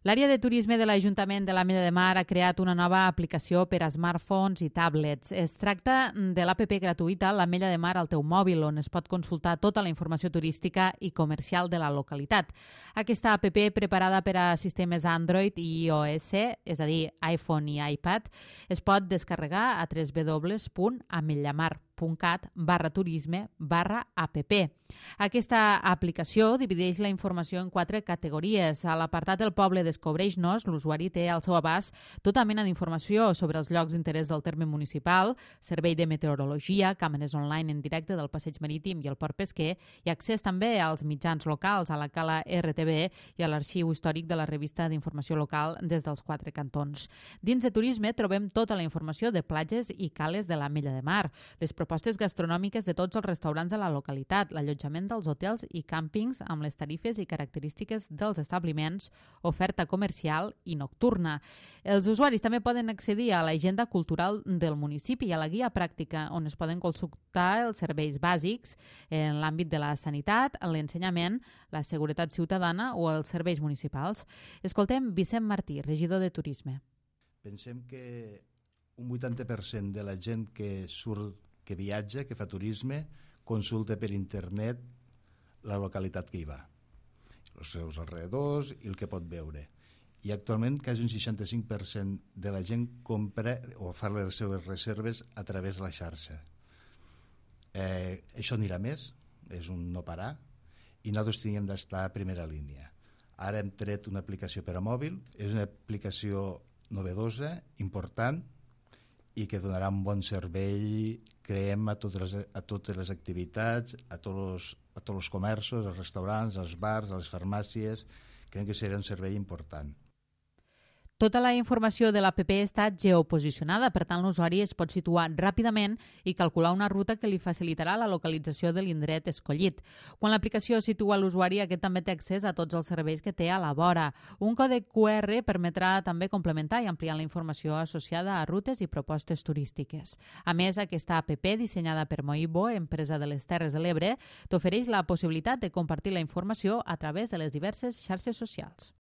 L'àrea de turisme de l'Ajuntament de l'Ametlla de Mar ha creat una nova aplicació per a smartphones i tablets. Es tracta de l'APP gratuïta L'Ametlla de Mar al teu mòbil, on es pot consultar tota la informació turística i comercial de la localitat. Aquesta APP, preparada per a sistemes Android i iOS, és a dir, iPhone i iPad, es pot descarregar a www.ametllamar.cat/turisme/app. Aquesta aplicació divideix la informació en 4 categories. A l'apartat del poble Descobreix-nos, l'usuari té al seu abast tota mena d'informació sobre els llocs d'interès del terme municipal, servei de meteorologia, càmeres online en directe del passeig marítim i el port pesquer, i accés també als mitjans locals, a la cala RTV i a l'arxiu històric de la revista d'informació local des dels 4 cantons. Dins de turisme trobem tota la informació de platges i cales de l'Ametlla de Mar, les propostes gastronòmiques de tots els restaurants de la localitat, l'allotjament dels hotels i càmpings amb les tarifes i característiques dels establiments, oferta comercial i nocturna. Els usuaris també poden accedir a l'agenda cultural del municipi i a la guia pràctica, on es poden consultar els serveis bàsics en l'àmbit de la sanitat, l'ensenyament, la seguretat ciutadana o els serveis municipals. Escoltem Vicent Martí, regidor de Turisme. Pensem que un 80% de la gent que que viatja, que fa turisme, consulta per internet la localitat que hi va, els seus alrededors i el que pot veure. I actualment quasi un 65% de la gent compra o fa les seves reserves a través de la xarxa. Això anirà més, és un no parar, i nosaltres tinguem d'estar a primera línia. Ara hem tret una aplicació per a mòbil, és una aplicació novedosa, important, i que donarà un bon servei, creiem, a totes les activitats, a tots els comerços, als restaurants, als bars, a les farmàcies. Creiem que serà un servei important. Tota la informació de l'APP està geoposicionada, per tant l'usuari es pot situar ràpidament i calcular una ruta que li facilitarà la localització de l'indret escollit. Quan l'aplicació situa l'usuari, aquest també té accés a tots els serveis que té a la vora. Un còdec QR permetrà també complementar i ampliar la informació associada a rutes i propostes turístiques. A més, aquesta APP, dissenyada per Moibo, empresa de les Terres de l'Ebre, t'ofereix la possibilitat de compartir la informació a través de les diverses xarxes socials.